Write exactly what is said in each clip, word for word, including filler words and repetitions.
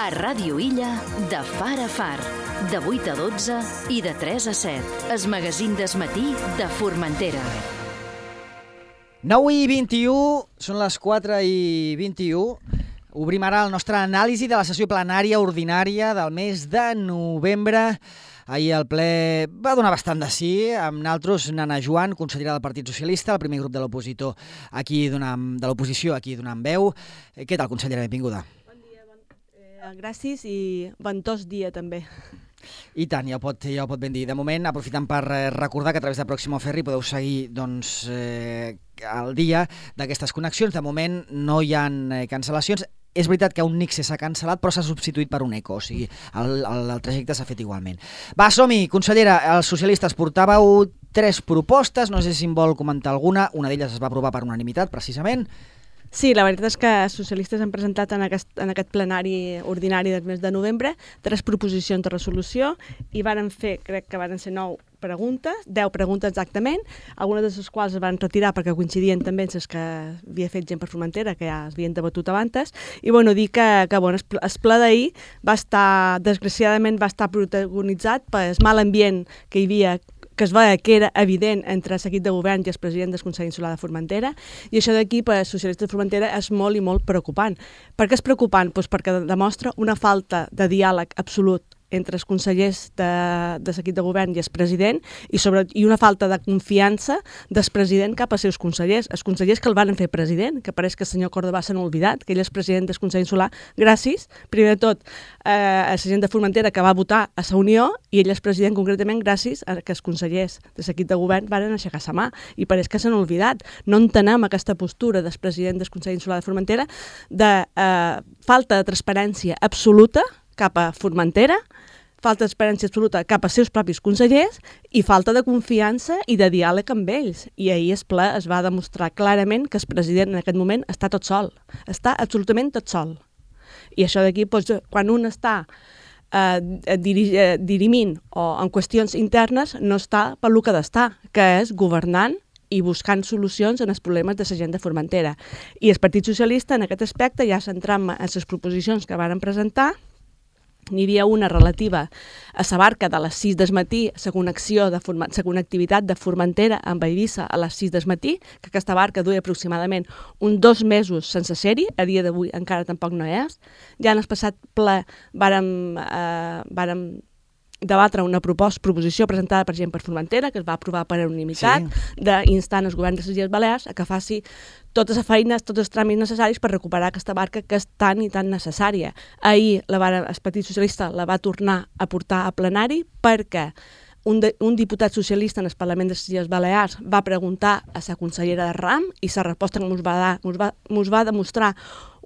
A Ràdio Illa, de far a far, de vuit a dotze i de tres a set. El magazín del matí de Formentera. nou i vint-i-u, són les quatre i vint-i-u. Obrim ara el nostre anàlisi de la sessió plenària ordinària del mes de novembre. Ahir el ple va donar bastant de sí, amb naltros Nana Joan, consellera del Partit Socialista, el primer grup de l'opositor aquí donant, de l'oposició aquí donant veu. Què tal, consellera? Benvinguda. Bon dia, bon... Eh, gràcies i ventós dia també. I tant, ja ho pot, ja ho pot ben dir. De moment, aprofitant per recordar que a través de Pròximo Ferri podeu seguir doncs, eh, el dia d'aquestes connexions. De moment no hi ha eh, cancel·lacions. És veritat que un Nixe s'ha cancel·lat, però s'ha substituït per un Eco, o sigui, el, el, el trajecte s'ha fet igualment. Va, som-hi, consellera, els socialistes portàveu tres propostes, no sé si en vol comentar alguna, una d'elles es va aprovar per unanimitat, precisament. Sí, la veritat és que els socialistes han presentat en aquest, en aquest plenari ordinari del mes de novembre tres proposicions de resolució i varen fer, crec que varen ser nou preguntes, deu preguntes exactament, algunes de les quals es van retirar perquè coincidien també amb les que havia fet gent per Formentera, que ja es havien debatut abans, i bueno, dir que, que bueno, el ple d'ahir va estar, desgraciadament, va estar protagonitzat pel mal ambient que hi havia, que es veia que era evident entre el seguit de govern i el president del Consell Insular de Formentera, i això d'aquí per als socialistes de Formentera és molt i molt preocupant. Per què és preocupant? Pues perquè demostra una falta de diàleg absolut entre els consellers de, de l'equip de govern i el president i, sobre, i una falta de confiança del president cap als seus consellers. Els consellers que el van fer president, que pareix que el senyor Córdoba s'han oblidat, que ell és president del Consell Insular, gràcies, primer de tot, eh, a la gent de Formentera que va votar a la Unió i ell és president concretament gràcies a que els consellers de l'equip de govern van aixecar la mà i pareix que s'han oblidat. No entenem aquesta postura del president del Consell Insular de Formentera de eh, falta de transparència absoluta cap a Formentera, falta d'experiència absoluta cap als seus propis consellers i falta de confiança i de diàleg amb ells. I ahir el ple es va demostrar clarament que el president en aquest moment està tot sol, està absolutament tot sol. I això d'aquí, doncs, quan un està eh, diri eh, dirimint o en qüestions internes, no està pel que ha d'estar, que és governant i buscant solucions en els problemes de la gent de Formentera. I el Partit Socialista, en aquest aspecte, ja centrant en les proposicions que varen presentar, n'hi havia una relativa a la barca de les sis del matí, la connexió de la connectivitat de Formentera amb Eivissa a les sis del matí, que aquesta barca duia aproximadament uns dos mesos sense ser-hi, a dia d'avui encara tampoc no és. Ja en el passat ple vàrem, eh, vàrem debatre una proposta, proposició presentada per gent per Formentera, que es va aprovar per unanimitat, sí, d'instant els governs de les Illes Balears a que faci totes les feines, tots els tràmits necessaris per recuperar aquesta barca que és tan i tan necessària. Ahir la va, el Partit Socialista la va tornar a portar a plenari perquè un, de, un diputat socialista en el Parlament de les Illes Balears va preguntar a la consellera de RAM i la resposta que ens va dar ens va, ens va demostrar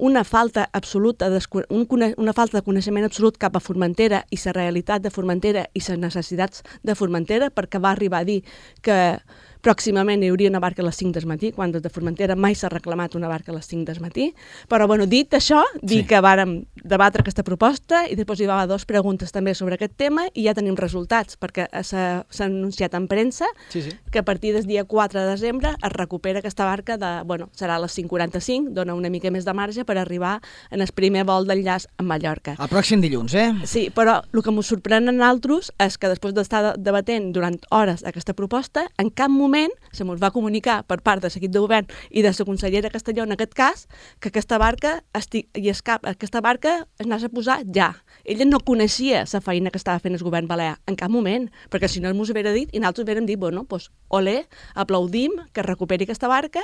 una falta absoluta, un, una falta de coneixement absolut cap a Formentera i la realitat de Formentera i les necessitats de Formentera, perquè va arribar a dir que pròximament hi hauria una barca a les cinc del matí, quan des de Formentera mai s'ha reclamat una barca a les cinc del matí. Però, bueno, dit això, dir sí, que vàrem debatre aquesta proposta i després hi va haver dues preguntes també sobre aquest tema i ja tenim resultats, perquè s'ha anunciat en premsa sí, sí. que a partir del dia quatre de desembre es recupera aquesta barca de, bueno, serà a les cinc quaranta-cinc, dona una mica més de marge per arribar en el primer vol d'enllaç a Mallorca. El pròxim dilluns, eh? Sí, però el que ens sorprèn a nosaltres és que després d'estar debatent durant hores aquesta proposta, en cap moment se mos va comunicar per part de l'equip de govern i de la consellera Castelló, en aquest cas, que aquesta barca, esti... i es cap... aquesta barca es anés a posar ja. Ella no coneixia la feina que estava fent el govern balear, en cap moment, perquè si no mos haguera dit, i nosaltres haguérem dit, bueno, doncs, olé, aplaudim que recuperi aquesta barca,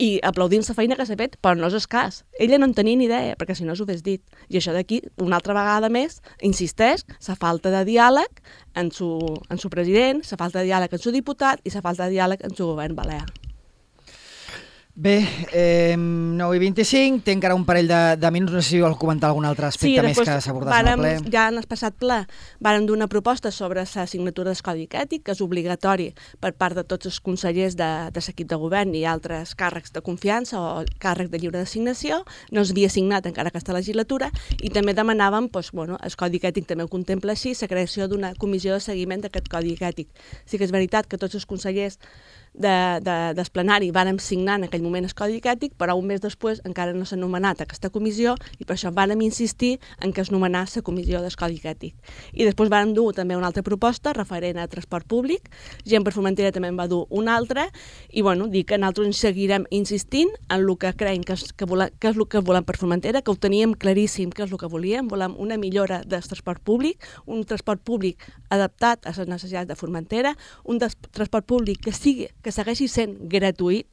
i aplaudim la feina que s'ha fet, però no és el cas. Ella no en tenia ni idea, perquè si no s'ho hagués dit. I això d'aquí, una altra vegada més, insisteix, la falta de diàleg en su, en su president, la falta de diàleg en su diputat i la falta de diàleg en su govern balear. Bé, eh, nou i vint-i-cinc, té encara un parell de, de minuts, no sé si vol comentar algun altre aspecte sí, més que s'abordés en el ple. Ja en el passat ple vàrem dur una proposta sobre la signatura del Codi Ètic, que és obligatori per part de tots els consellers de, de l'equip de govern i altres càrrecs de confiança o càrrecs de lliure designació. No s'havia signat encara aquesta legislatura i també demanàvem, doncs, bueno, el Codi Ètic també ho contempla així, la creació d'una comissió de seguiment d'aquest Codi Ètic. Sí que és veritat que tots els consellers de, de, del plenari vàrem signar en aquell moment el codi ètic, però un mes després encara no s'ha nomenat aquesta comissió i per això vàrem insistir en que es nomenés la comissió del codi ètic. I després vàrem dur també una altra proposta referent a transport públic, Gent per Formentera també en va dur una altra, i bueno, dic que nosaltres seguirem insistint en el que creiem que és, que volem, que és el que volem per Formentera, que ho teníem claríssim que és el que volíem, volem una millora del transport públic, un transport públic adaptat a les necessitats de Formentera, un transport públic que sigui, que segueixi sent gratuït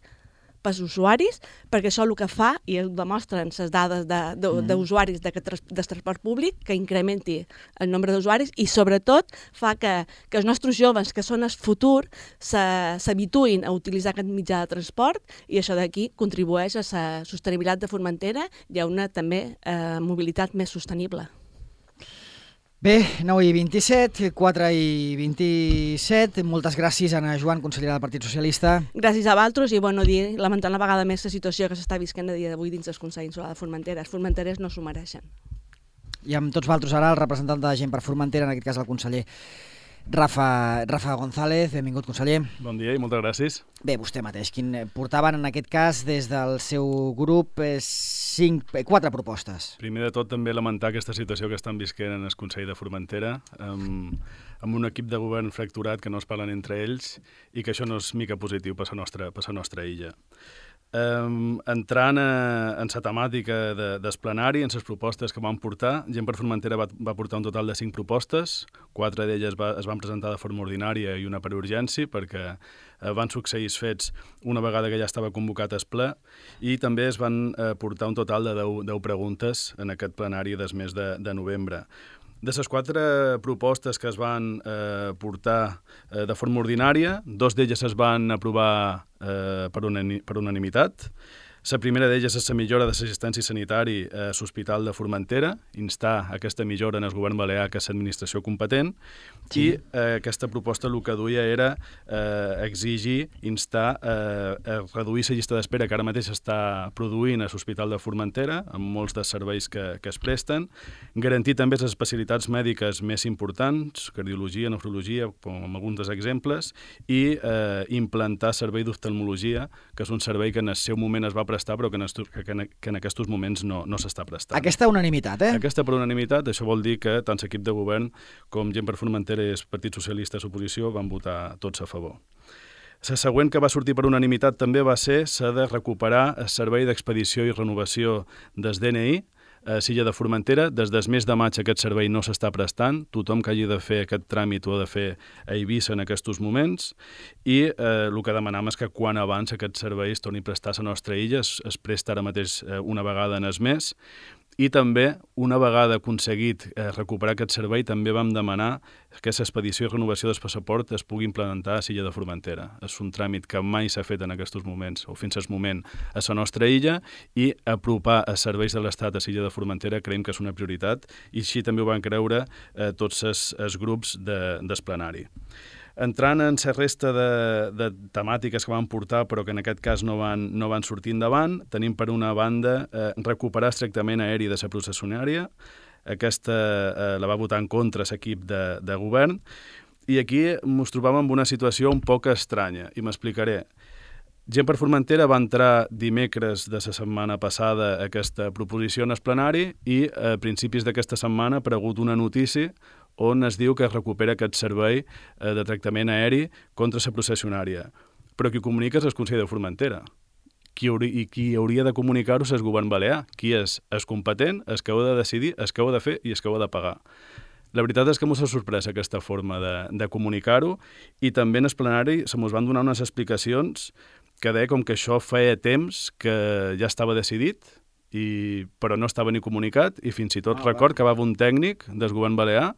pels usuaris, perquè això el que fa, i ho demostren les dades d'usuaris de, de, mm. del transport públic, que incrementi el nombre d'usuaris i sobretot fa que, que els nostres joves, que són el futur, s'habituïn a utilitzar aquest mitjà de transport i això d'aquí contribueix a la sostenibilitat de Formentera i a una també eh, mobilitat més sostenible. Bé, nou i vint-i-set, quatre i vint-i-set. Moltes gràcies, Anna Joan, consellera del Partit Socialista. Gràcies a vosaltres i, bueno, dir, lamentant la vegada més la situació que s'està visquent a dia d'avui dins del Consell Insular de Formentera. Els formenterers no s'ho mereixen. I amb tots vosaltres ara el representant de Gent per Formentera, en aquest cas el conseller Rafa, Rafa González. Benvingut, conseller. Bon dia i moltes gràcies. Bé, vostè mateix, quin portaven en aquest cas des del seu grup eh, cinc, eh, quatre propostes. Primer de tot també lamentar aquesta situació que estan visquent en el Consell de Formentera, amb, amb un equip de govern fracturat que no es parlen entre ells i que això no és mica positiu per la nostra, per la nostra illa. Um, entrant a, en la temàtica de, del plenari, en les propostes que vam portar, Gent per Formentera va, va portar un total de cinc propostes, quatre d'elles va, es van presentar de forma ordinària i una per urgència, perquè eh, van succeir els fets una vegada que ja estava convocat el ple, i també es van eh, portar un total de deu preguntes en aquest plenari des mes de, de novembre. De les quatre propostes que es van eh, portar eh, de forma ordinària, dos d'elles es van aprovar eh, per, unani per unanimitat. La primera d'elles és la millora de l'assistència sanitària a l'Hospital de Formentera, instar aquesta millora en el govern balear, que és l'administració competent, sí. I eh, aquesta proposta el que duia era eh, exigir, instar eh, a reduir la llista d'espera que ara mateix està produint a l'Hospital de Formentera, amb molts dels serveis que, que es presten, garantir també les especialitats mèdiques més importants, cardiologia, nefrologia, com alguns dels exemples, i eh, implantar servei d'oftalmologia, que és un servei que en el seu moment es va prestar, però que en, estos, que en, que en aquests moments no, no s'està prestant. Aquesta unanimitat, eh? Aquesta per unanimitat, això vol dir que tant l'equip de govern com Gent per Formentera i el Partit Socialista i l'oposició van votar tots a favor. La següent que va sortir per unanimitat també va ser la de recuperar el servei d'expedició i renovació del D N I a l'illa de Formentera. Des del mes de maig aquest servei no s'està prestant. Tothom que hagi de fer aquest tràmit ho ha de fer a Eivissa en aquests moments i eh, el que demanam és que quan abans aquest servei es torni a prestar a la nostra illa, es, es presta ara mateix eh, una vegada en el mes. I també, una vegada aconseguit eh, recuperar aquest servei, també vam demanar que l'expedició i renovació del passaport es pugui implementar a l'illa de Formentera. És un tràmit que mai s'ha fet en aquests moments, o fins al moment, a la nostra illa, i apropar els serveis de l'Estat a l'illa de Formentera creiem que és una prioritat, i així també ho van creure eh, tots els, els grups de, del plenari. Entrant en la resta de, de temàtiques que van portar, però que en aquest cas no van, no van sortir endavant, tenim per una banda eh, recuperar el tractament aeri de la processionària. Aquesta eh, la va votar en contra l'equip de, de govern, i aquí ens trobàvem en una situació un poc estranya, i m'explicaré. Gent per Formentera va entrar dimecres de la setmana passada aquesta proposició en el plenari i a principis d'aquesta setmana ha aparegut una notícia on es diu que es recupera aquest servei eh, de tractament aeri contra la processionària. Però qui comunica és el Consell de Formentera. Qui hauri, I qui hauria de comunicar-ho és el govern balear. Qui és? És competent, és que ho ha de decidir, és que ho ha de fer i és que ho ha de pagar. La veritat és que m'ha sorprès aquesta forma de, de comunicar-ho, i també en el plenari se mos van donar unes explicacions que deia com que això feia temps que ja estava decidit, i, però no estava ni comunicat, i fins i tot ah, record va. que va haver un tècnic del govern balear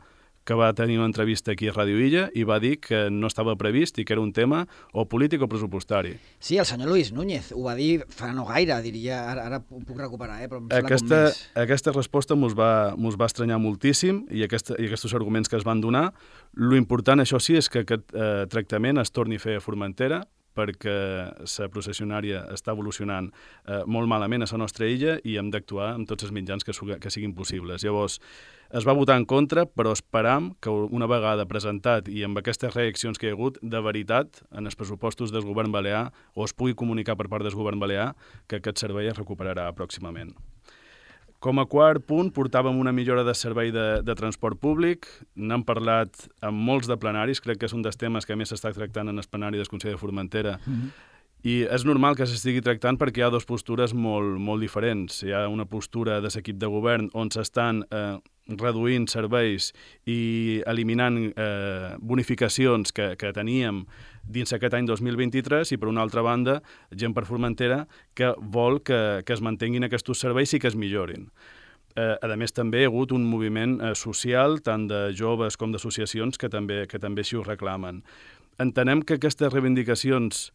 que va tenir una entrevista aquí a Ràdio Illa i va dir que no estava previst i que era un tema o polític o pressupostari. Sí, el senyor Luis Núñez ho va dir fa no gaire, diria, ara, ara ho puc recuperar, eh? Però em sembla aquesta, com més. Aquesta resposta mos va, mos va estranyar moltíssim, i, aquesta, i aquests arguments que es van donar. Lo important, això sí, és que aquest eh, tractament es torni a fer a Formentera, perquè la processionària està evolucionant eh, molt malament a la nostra illa i hem d'actuar amb tots els mitjans que, que siguin possibles. Llavors, es va votar en contra, però esperam que una vegada presentat i amb aquestes reaccions que hi ha hagut, de veritat, en els pressupostos del govern balear, o es pugui comunicar per part del govern balear que aquest servei es recuperarà pròximament. Com a quart punt, portàvem una millora de servei de, de transport públic. N'hem parlat amb molts de plenaris, crec que és un dels temes que més s'està tractant en el plenari del Consell de Formentera. Mm-hmm. I és normal que s'estigui tractant perquè hi ha dues postures molt, molt diferents. Hi ha una postura de l'equip de govern on s'estan eh, reduint serveis i eliminant eh, bonificacions que, que teníem dins aquest any dos mil vint-i-tres i, per una altra banda, gent per Formentera que vol que, que es mantinguin aquests serveis i que es millorin. Eh, a més, també hi ha hagut un moviment eh, social, tant de joves com d'associacions, que també, que també així ho reclamen. Entenem que aquestes reivindicacions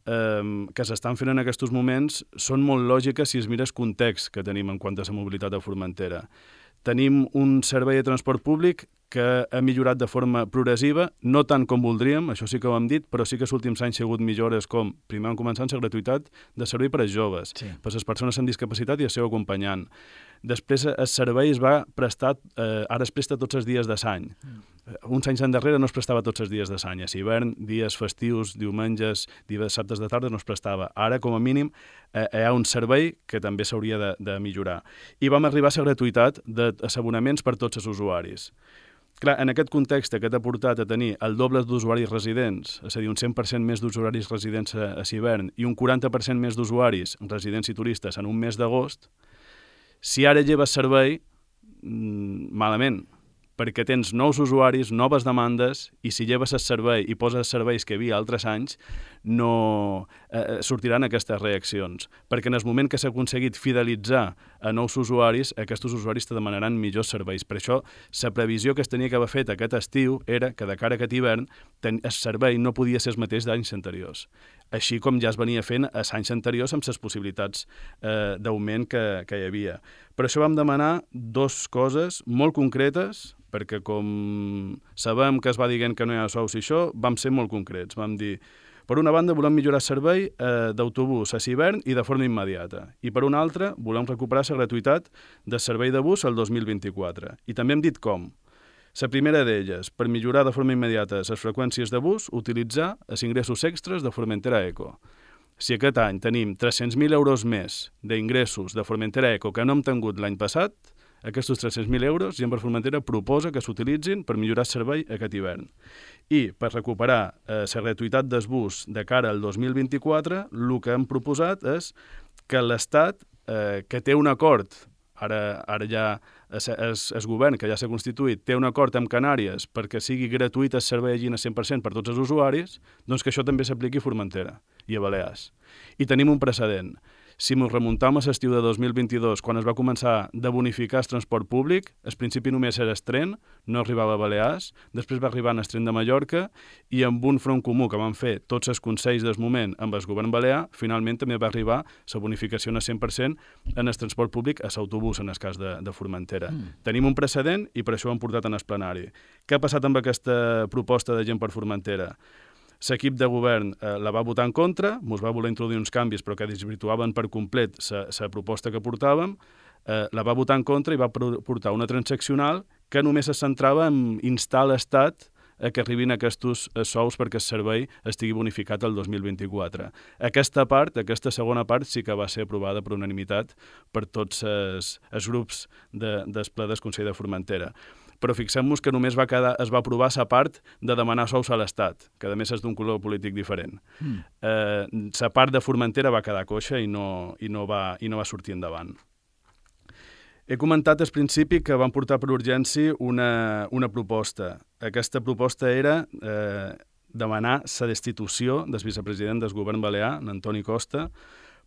eh, que s'estan fent en aquests moments són molt lògiques si es mira el context que tenim en quant a la mobilitat a Formentera. Tenim un servei de transport públic que ha millorat de forma progressiva, no tant com voldríem, això sí que ho hem dit, però sí que els últims anys hi ha hagut millores com, primer van començar amb la gratuïtat de servei per als joves, sí. per les persones amb discapacitat i el seu acompanyant. Després el servei es va prestar, eh, ara es presta tots els dies de l'any. Mm. Uns anys endarrere no es prestava tots els dies de l'any. A hivern, dies festius, diumenges, dissabtes de tarda no es prestava. Ara, com a mínim, eh, hi ha un servei que també s'hauria de, de millorar. I vam arribar a la gratuïtat d'assabonaments per tots els usuaris. Clar, en aquest context que t'ha portat a tenir el doble d'usuaris residents, és a dir, un cent per cent més d'usuaris residents a, a hivern i un quaranta per cent més d'usuaris residents i turistes en un mes d'agost, si ara lleves servei, malament, perquè tens nous usuaris, noves demandes, i si lleves el servei i poses serveis que hi havia altres anys, no eh, sortiran aquestes reaccions. Perquè en el moment que s'ha aconseguit fidelitzar a nous usuaris, aquests usuaris te demanaran millors serveis. Per això, la previsió que es tenia que haver fet aquest estiu era que de cara a aquest hivern el servei no podia ser el mateix d'anys anteriors. Així com ja es venia fent a anys anteriors amb les possibilitats eh, d'augment que, que hi havia. Per això vam demanar dues coses molt concretes, perquè com sabem que es va dient que no hi ha sous i això, vam ser molt concrets. Vam dir, per una banda, volem millorar el servei eh, d'autobús a hivern i de forma immediata. I per una altra, volem recuperar la gratuïtat del servei de bus el dos mil vint-i-quatre. I també hem dit com. La primera d'elles, per millorar de forma immediata les freqüències de bus, utilitzar els ingressos extras de Formentera Eco. Si aquest any tenim tres-cents mil euros més d'ingressos de Formentera Eco que no hem tingut l'any passat, aquests tres-cents mil euros, Gent per Formentera proposa que s'utilitzin per millorar el servei aquest hivern. I per recuperar eh, la gratuïtat del bus de cara al dos mil vint-i-quatre, el que hem proposat és que l'Estat, eh, que té un acord, ara, ara ja el govern, que ja s'ha constituït, té un acord amb Canàries perquè sigui gratuït el servei allí al cent per cent per tots els usuaris, doncs que això també s'apliqui a Formentera i a Balears. I tenim un precedent. Si ens remuntam a l'estiu de dos mil vint-i-dos, quan es va començar de bonificar el transport públic, al principi només era el tren, no arribava a Balears, després va arribar en el tren de Mallorca i amb un front comú que van fer tots els consells del moment amb el govern balear, finalment també va arribar la bonificació al cent per cent en el transport públic a l'autobús, en el cas de, de Formentera. Mm. Tenim un precedent i per això ho hem portat en el plenari. Què ha passat amb aquesta proposta de Gent per Formentera? L'equip de govern eh, la va votar en contra, ens va voler introduir uns canvis però que desvirtuaven per complet la proposta que portàvem, eh, la va votar en contra i va portar una transaccional que només es centrava en instar l'Estat a que arribin aquests sous perquè el servei estigui bonificat el dos mil vint-i-quatre. Aquesta part, aquesta segona part, sí que va ser aprovada per unanimitat per tots els, els grups de, del ple del Consell de Formentera. Però fixem-nos que només va quedar, es va aprovar la part de demanar sous a l'Estat, que a més és d'un color polític diferent. Mm. Eh, la part de Formentera va quedar coixa i no, i no, va, i no va sortir endavant. He comentat al principi que vam portar per urgència una, una proposta. Aquesta proposta era eh, demanar la destitució del vicepresident del govern balear, Antoni Costa,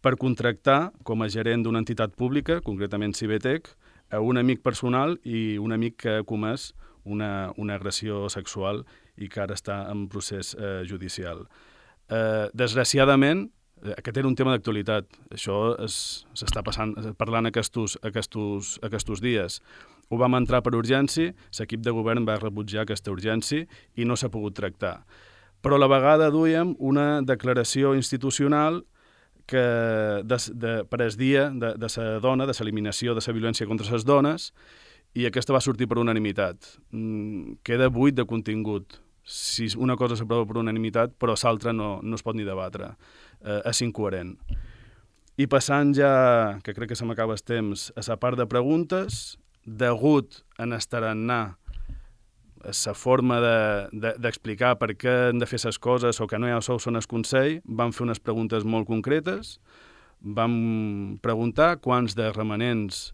per contractar com a gerent d'una entitat pública, concretament Cibetec, a un amic personal i un amic que ha comès una, una agressió sexual i que ara està en procés eh, judicial. Eh, desgraciadament, aquest era un tema d'actualitat. Això s'està passant, parlant aquests, aquests, aquests dies. Ho vam entrar per urgència, l'equip de govern va rebutjar aquesta urgència i no s'ha pogut tractar. però a la vegada duíem una declaració institucional que de, de, per el dia de, de la dona, de l'eliminació de la violència contra les dones, i aquesta va sortir per unanimitat. Mm, queda buit de contingut. Si una cosa s'aprova per unanimitat, però l'altra no, no es pot ni debatre. Eh, és incoherent. I passant ja, que crec que se m'acaba el temps, a la part de preguntes, degut en estarannar la forma d'explicar de, de, per què han de fer les coses o que no hi ha sous en el Consell, vam fer unes preguntes molt concretes, vam preguntar quants de remanents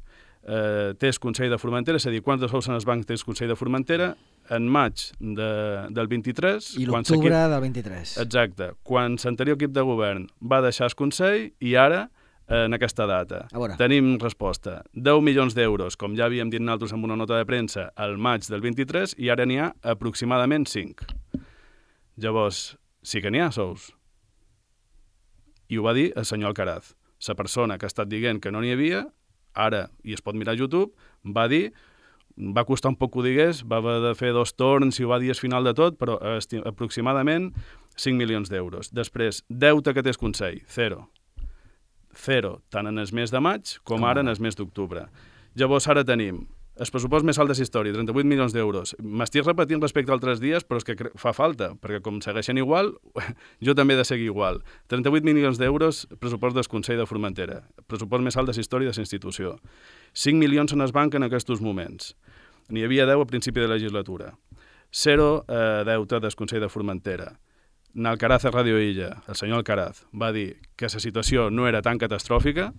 eh, té el Consell de Formentera, és a dir, quants de sous en el banc té el Consell de Formentera, en maig de, del vint-i-tres... I l'octubre del vint-i-tres. Exacte, quan l'anterior equip de govern va deixar el Consell i ara, en aquesta data, tenim resposta. deu milions d'euros, com ja havíem dit nosaltres en una nota de premsa, al maig del vint-i-tres, i ara n'hi ha aproximadament cinc. Llavors, sí que n'hi ha sous. I ho va dir el senyor Alcaraz. La persona que ha estat dient que no n'hi havia, ara, i es pot mirar a YouTube, va dir... Va costar un poc que ho digués, va haver de fer dos torns i ho va dir al final de tot, però aproximadament cinc milions d'euros. Després, deute que té el Consell, zero. Zero, tant en el mes de maig com ara en el mes d'octubre. Llavors ara tenim el pressupost més alt de la història, trenta-vuit milions d'euros. M'estic repetint respecte a altres dies, però és que fa falta, perquè com segueixen igual, jo també he de seguir igual. trenta-vuit milions d'euros, pressupost del Consell de Formentera. Pressupost més alt de la història de la institució. cinc milions en el banc en aquests moments. N'hi havia deu a principi de legislatura. Zero eh, deute del Consell de Formentera. N'Alcaraz a Radio Illa, el senyor Alcaraz, va dir que la situació no era tan catastròfica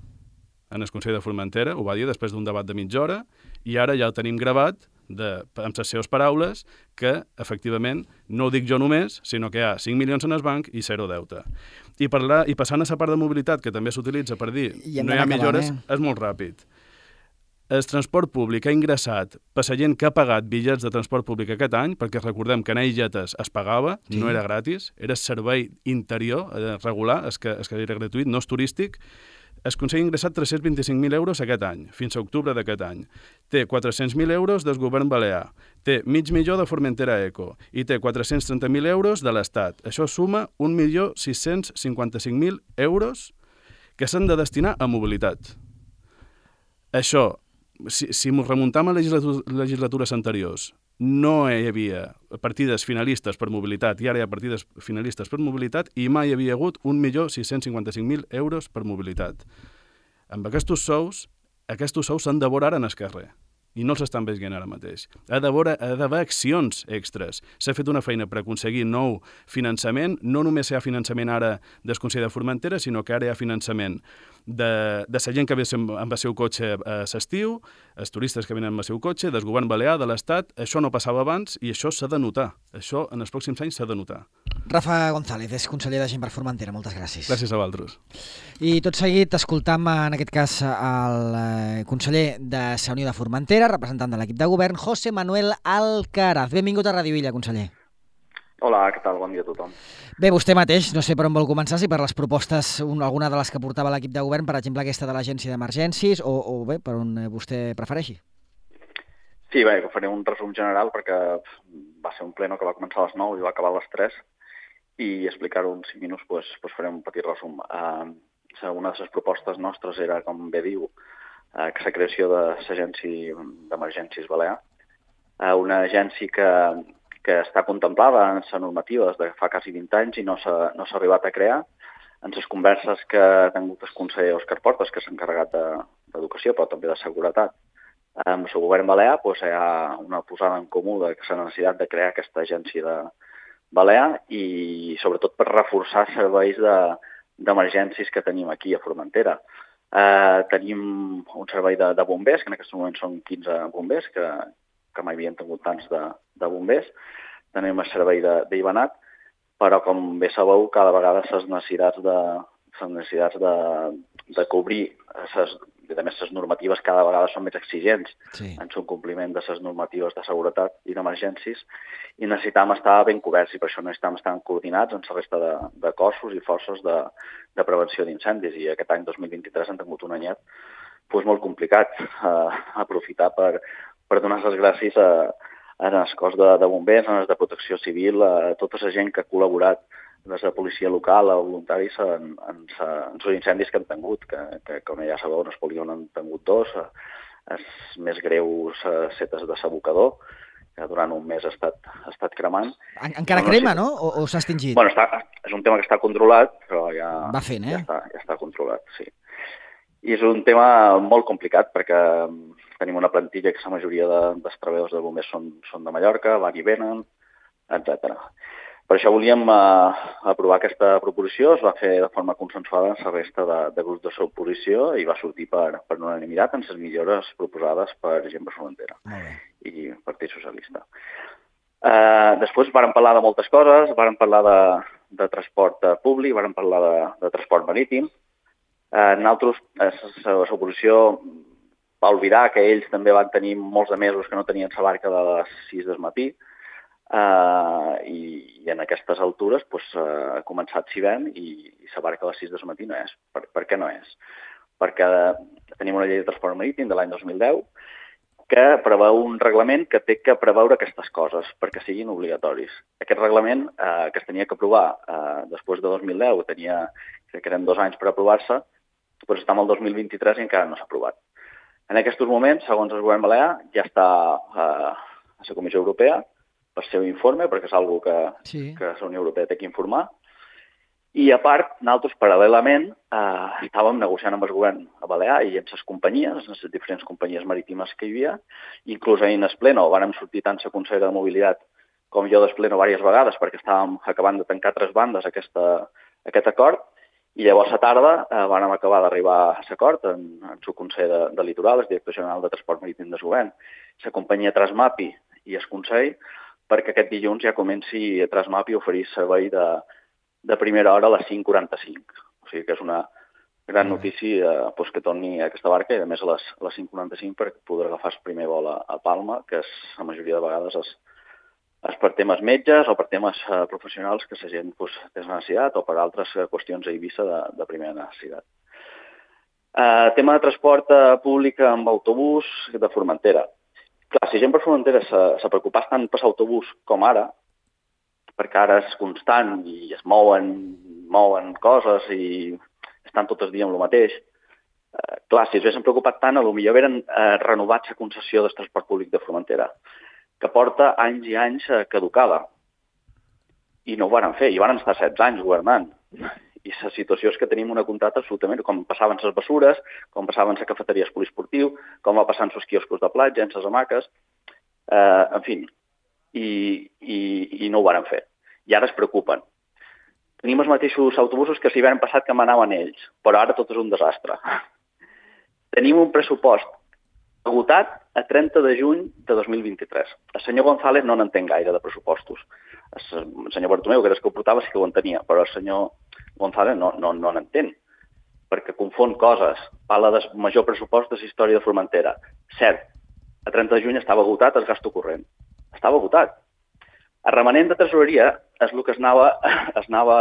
en el Consell de Formentera, ho va dir després d'un debat de mitja hora, i ara ja el tenim gravat de, amb les seves paraules que, efectivament, no ho dic jo només, sinó que hi ha cinc milions en el banc i zero deute. I, parlar, i passant a la part de mobilitat, que també s'utilitza per dir no hi ha millores, eh? És molt ràpid. El transport públic ha ingressat per la gent que ha pagat bitllets de transport públic aquest any, perquè recordem que en Ailletes es pagava, sí. No era gratis, era servei interior, eh, regular, és que, és que era gratuït, no és turístic. El Consell ha ingressat tres-cents vint-i-cinc mil euros aquest any, fins a octubre d'aquest any. Té quatre-cents mil euros del govern balear, té mig milió de Formentera Eco i té quatre-cents trenta mil euros de l'Estat. Això suma un milió sis-cents cinquanta-cinc mil euros que s'han de destinar a mobilitat. Això, si, si ens remuntam a legislatures anteriors, no hi havia partides finalistes per mobilitat i ara hi ha partides finalistes per mobilitat i mai hi havia hagut un milió sis-cents cinquanta-cinc mil euros per mobilitat. Amb aquests sous, aquests sous s'han de veure ara en el carrer i no s'estan veient ara mateix. Ha d'haver accions extres. S'ha fet una feina per aconseguir nou finançament. No només hi ha finançament ara del Consell de Formentera, sinó que ara hi ha finançament de, de la gent que ve amb el seu cotxe a l'estiu, els turistes que venen amb el seu cotxe, del govern balear, de l'Estat. Això no passava abans i això s'ha de notar. Això en els pròxims anys s'ha de notar. Rafa González, és conseller de Gent per Formentera. Moltes gràcies. Gràcies a vosaltres. I tot seguit escoltam, en aquest cas, el conseller de la Unió de Formentera, representant de l'equip de govern, José Manuel Alcaraz. Benvingut a Radio Illa, conseller. Hola, què tal? Bon dia a tothom. Bé, vostè mateix, no sé per on vol començar, si per les propostes, alguna de les que portava l'equip de govern, per exemple aquesta de l'Agència d'Emergències, o, o bé, per on vostè prefereixi. Sí, bé, faré un resum general perquè va ser un pleno que va començar a les nou i va acabar a les tres, i explicar-ho en cinc minuts, doncs, doncs faré un petit resum. Uh, una de les propostes nostres era, com bé diu, uh, que la creació de l'Agència d'Emergències Balear, uh, una agència que que està contemplada en la normativa des de fa quasi vint anys i no s'ha no s'ha arribat a crear. En les converses que ha tingut el conseller Òscar Portas, que s'ha encarregat d'educació, però també de seguretat, amb el govern balear, doncs, hi ha una posada en comú de la necessitat de crear aquesta agència de balear i sobretot per reforçar serveis d'emergències que tenim aquí a Formentera. Eh, tenim un servei de, de bombers, que en aquest moment són quinze bombers, que que mai havien tingut tants de, de bombers. Tenim el servei d'Ivanat, però com bé sabeu, cada vegada les necessitats de, les necessitats de, de cobrir, ses, a més, les normatives cada vegada són més exigents sí. En el compliment de les normatives de seguretat i d'emergències, i necessitam estar ben coberts, i per això necessitam estar coordinats amb la resta de, de cossos i forces de, de prevenció d'incendis, i aquest any dos mil vint-i-tres han tingut un anyet doncs, molt complicat, eh, aprofitar per per donar les gràcies a, en el cos de, de bombers, en els de protecció civil, a tota la gent que ha col·laborat des de policia local a voluntaris en, en, en els incendis que han tingut, que, que com ja sabeu, en el polígon han tingut dos, els més greus setes de s'abocador, que durant un mes ha estat, ha estat cremant. En, encara no, crema, no? no? O, o s'ha extingit? Bueno, està, és un tema que està controlat, però ja, Va fent, eh? ja, està, ja està controlat, sí. I és un tema molt complicat perquè tenim una plantilla que la majoria de, dels treballadors de bombers són, són de Mallorca, van i venen, etcètera. Per això volíem uh, aprovar aquesta proposició, es va fer de forma consensuada amb la resta de, de grups de l'oposició i va sortir per, per unanimitat en les millores proposades per Gent per Formentera i Partit Socialista. Uh, després vàrem parlar de moltes coses, vàrem parlar de, de transport públic, vàrem parlar de, de transport marítim. Uh, nosaltres, l'oposició va oblidar que ells també van tenir molts de mesos que no tenien la barca de les sis del matí, Uh, i, i en aquestes altures pues, uh, ha començat Civem i, i la barca a les sis del matí no és. Per, per què no és? Perquè tenim una llei de transport marítim de l'any dos mil deu que preveu un reglament que té que preveure aquestes coses perquè siguin obligatoris. Aquest reglament uh, que es tenia que aprovar uh, després de dos mil deu, tenia, crec que eren dos anys per aprovar-se, doncs està en el dos mil vint-i-tres i encara no s'ha aprovat. En aquests moments, segons el govern balear, ja està uh, a la Comissió Europea per seu informe, perquè és una cosa que, sí. que la Unió Europea té que informar. I, a part, nosaltres, paral·lelament, eh, estàvem negociant amb el govern a Balear i amb les companyies, amb les diferents companyies marítimes que hi havia. Inclús ahir en el pleno vàrem sortir tant la consellera de Mobilitat com jo del pleno diverses vegades, perquè estàvem acabant de tancar tres bandes aquesta, aquest acord, i llavors a tarda eh, vàrem acabar d'arribar a l'acord en, en el Consell de, de Litoral, el director general de Transport Marítim del govern, la companyia Transmapi i el Consell, perquè aquest dilluns ja comenci a Transmapi a oferir servei de, de primera hora a les cinc quaranta-cinc. O sigui que és una gran notícia eh, pues, que torni a aquesta barca i a més a les, a les cinc quaranta-cinc per poder agafar el primer vol a, a Palma, que és, la majoria de vegades és, és per temes metges o per temes eh, professionals que la gent pues, té necessitat o per altres eh, qüestions a Eivissa de, de primera necessitat. Eh, tema de transport eh, públic amb autobús de Formentera. Clar, si Gent per Formentera se, se preocupés tant per l'autobús com ara, perquè ara és constant i es mouen, mouen coses i estan tot el dia amb el mateix, eh, clar, si es haguessin preocupat tant, potser haurien eh, renovat la concessió del transport públic de Formentera, que porta anys i anys eh, caducada. I no ho van fer, i van estar setze anys governant. I la situació és que tenim una contracta absolutament, com passaven les bessures, com passaven les cafeteries poliesportiu, com va passant els quioscos de platja, en les hamaques, eh, en fi, i, i, i no ho van fer. I ara es preocupen. Tenim els mateixos autobusos que s'hi van passat que manaven ells, però ara tot és un desastre. Tenim un pressupost agotat a trenta de juny de dos mil vint-i-tres. El senyor González no n'entén gaire de pressupostos. El senyor Bartomeu, que era el que ho portava, sí que ho entenia, però el senyor González no, no, no n'entén, perquè confon coses. Parla del major pressupost de la història de Formentera. Cert, a trenta de juny estava agotat el gasto corrent. Estava agotat. El remanent de tresoreria és el que es anava, es anava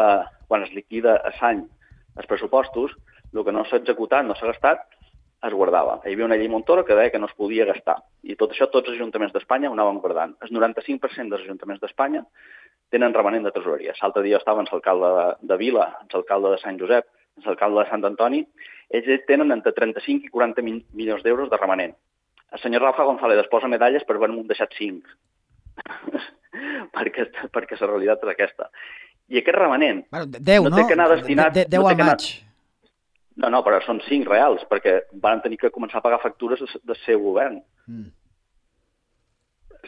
quan es liquida a l'any els pressupostos, el que no s'ha executat, no s'ha gastat, es guardava. Hi havia una llei Montoro que deia que no es podia gastar. I tot això, tots els ajuntaments d'Espanya ho anaven guardant. El noranta-cinc per cent dels ajuntaments d'Espanya tenen remanent de tresoreria. L'altre dia estava en l'alcalde de, de Vila, en l'alcalde de Sant Josep, en l'alcalde de Sant Antoni. Ells tenen entre trenta-cinc i quaranta milions d'euros de remanent. El senyor Rafa González es posa medalles per haver-me deixat cinc. perquè, perquè la realitat és aquesta. I aquest remanent bueno, deu, no, no té que anar destinat... De, de, deu no al maig. No, no, però són cinc reals, perquè van tenir que començar a pagar factures del seu govern. Mm.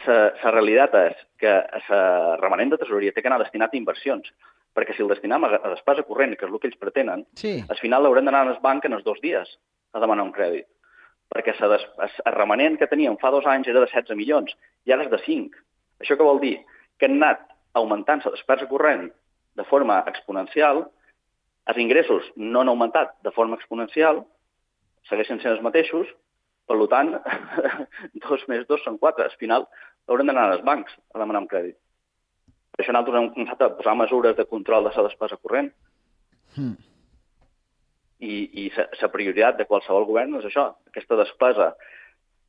La realitat és que el remanent de tresoreria té que anar destinat a inversions, perquè si el destinem a despesa corrent, que és el que ells pretenen, sí. Al final l'haurem d'anar al banc en els dos dies a demanar un crèdit. Perquè el remanent que teníem fa dos anys era de setze milions i ara és de cinc. Això què vol dir? Que han anat augmentant la despesa corrent de forma exponencial. Els ingressos no han augmentat de forma exponencial, segueixen sent els mateixos, per tant, dos més dos són quatre. Al final haurem d'anar als bancs a demanar un crèdit. Per això nosaltres hem començat a posar mesures de control de la despesa corrent. Mm. I, i la prioritat de qualsevol govern és això, aquesta despesa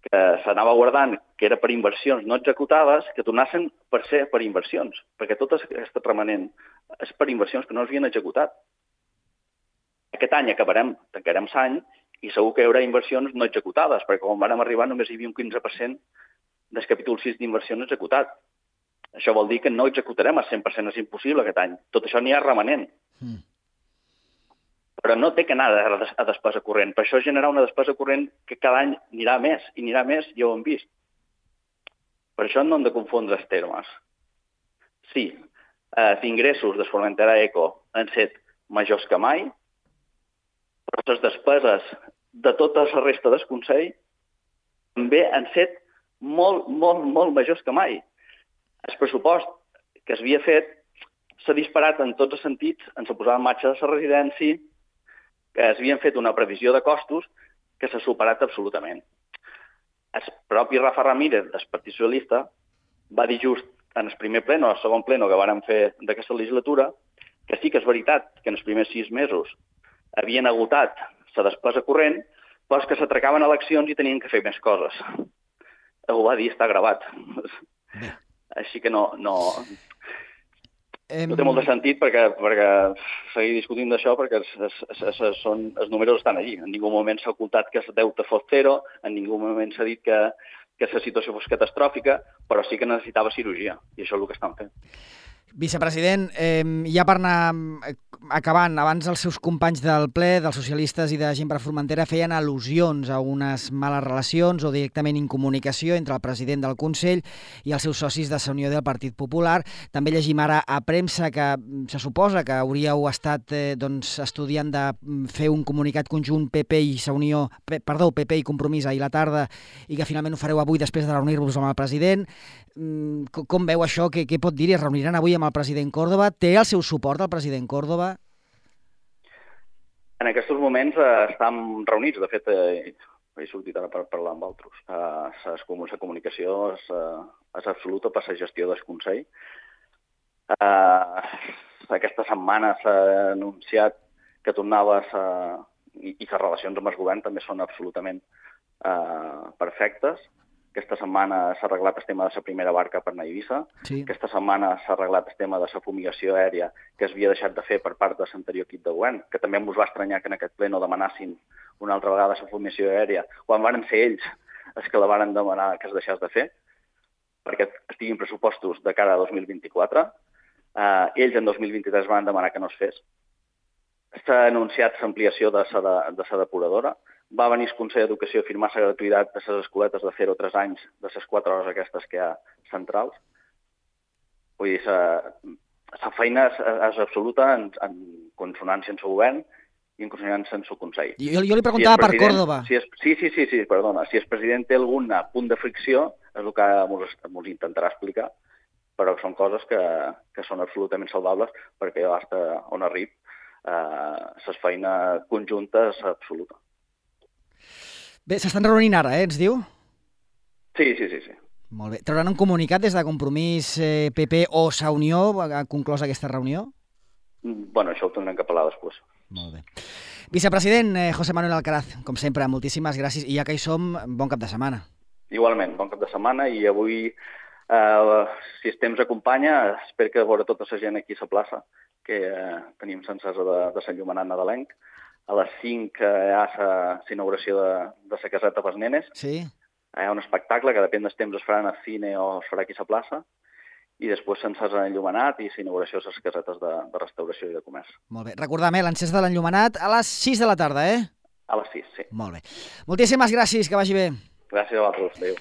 que s'anava guardant, que era per inversions no executades, que tornassin per ser per inversions, perquè tot aquest remanent és per inversions que no s'havien executat. Aquest any acabarem, tancarem l'any, i segur que hi haurà inversions no executades, perquè quan vam arribar només hi havia un quinze per cent del capítol sis d'inversions executat. Això vol dir que no executarem al cent per cent, és impossible aquest any. Tot això n'hi ha remanent. Mm. Però no té que anar a despesa corrent. Per això generar una despesa corrent que cada any anirà més, i anirà més, ja ho hem vist. Per això no hem de confondre els termes. Sí, els ingressos de Formentera Eco han set majors que mai, però les despeses de tota la resta del Consell també han set molt, molt, molt majors que mai. El pressupost que s'havia fet s'ha disparat en tots els sentits, en la posada en marxa de la residència, que s'havien fet una previsió de costos que s'ha superat absolutament. El propi Rafa Ramírez, del Partit Socialista, va dir just en el primer pleno, el segon pleno que vàrem fer d'aquesta legislatura, que sí que és veritat que en els primers sis mesos havien agotat la despesa corrent, però que s'atracaven eleccions i tenien que fer més coses. Ho va dir, està gravat. Bé. Així que no... no... No té molt de sentit perquè, perquè seguir discutint d'això perquè es, es, es, es, són, els números estan allí. En ningú moment s'ha ocultat que el deute fos zero, en ningú moment s'ha dit que, que la situació fos catastròfica, però sí que necessitava cirurgia, i això és el que estan fent. Vicepresident, eh, ja per anar acabant, abans els seus companys del ple, dels socialistes i de Gent per Formentera, feien al·lusions a unes males relacions o directament incomunicació entre el president del Consell i els seus socis de la Unió del Partit Popular. També llegim ara a premsa que se suposa que hauríeu estat eh, doncs, estudiant de fer un comunicat conjunt P P i la Unió, perdó, P P i Compromís ahir a la tarda i que finalment ho fareu avui després de reunir-vos amb el president. Com veu això? Què, què pot dir? Es reuniran avui amb el president Córdoba? Té el seu suport el president Córdoba? En aquests moments eh, estem reunits. De fet, eh, he sortit ara per parlar amb altres. Eh, la comunicació és, eh, és absoluta per la gestió del Consell. Eh, aquesta setmana s'ha anunciat que tornava a... i, i les relacions amb el govern també són absolutament eh, perfectes. Aquesta setmana s'ha arreglat el tema de la primera barca per anar a Eivissa. Sí. Aquesta setmana s'ha arreglat el tema de la fumigació aèria que es havia deixat de fer per part de l'anterior equip de govern, que també ens va estranyar que en aquest ple no demanassin una altra vegada la fumigació aèria, quan van ser ells els que la van demanar que es deixés de fer, perquè estiguin pressupostos de cara a dos mil vint-i-quatre. Eh, ells en dos mil vint-i-tres van demanar que no es fes. S'ha anunciat l'ampliació de la depuradora. Va venir el Consell d'Educació a firmar la gratuïtat de les escoletes de zero a tres anys de les quatre hores aquestes que hi ha centrals. Vull dir, la feina és, és absoluta en, en consonància amb el govern i en consonància amb el Consell. Jo, jo li preguntava si per Córdoba. Si és, sí, sí, sí, sí, perdona. Si el president té algun punt de fricció, és el que ens intentarà explicar, però són coses que, que són absolutament salvables perquè hasta on arribi eh, la feina conjunta és absoluta. Bé, s'estan reunint ara, eh, ens diu? Sí, sí, sí, sí. Molt bé. Trauran un comunicat des de Compromís eh, P P o Sa Unió ha conclòs aquesta reunió? Bueno, això ho tindrem que parlar després. Molt bé. Vicepresident eh, José Manuel Alcaraz, com sempre, moltíssimes gràcies i ja que hi som, bon cap de setmana. Igualment, bon cap de setmana i avui, eh, si el temps acompanya, espero que veure tota la gent aquí a la plaça, que eh, tenim sencesa de, de Sant Llumenat nadalenc. A les cinc hi ha l'inauguració de, de la caseta pels nenes. Sí. Hi ha un espectacle que depèn del temps es farà al cine o es farà aquí a la plaça. I després s'encès l'enllumenat i l'inauguració de les casetes de, de restauració i de comerç. Molt bé. Recordem, eh, l'encès de l'enllumenat a les sis de la tarda, eh? A les sis, sí. Molt bé. Moltíssimes gràcies, que vagi bé. Gràcies a vosaltres. Adéu.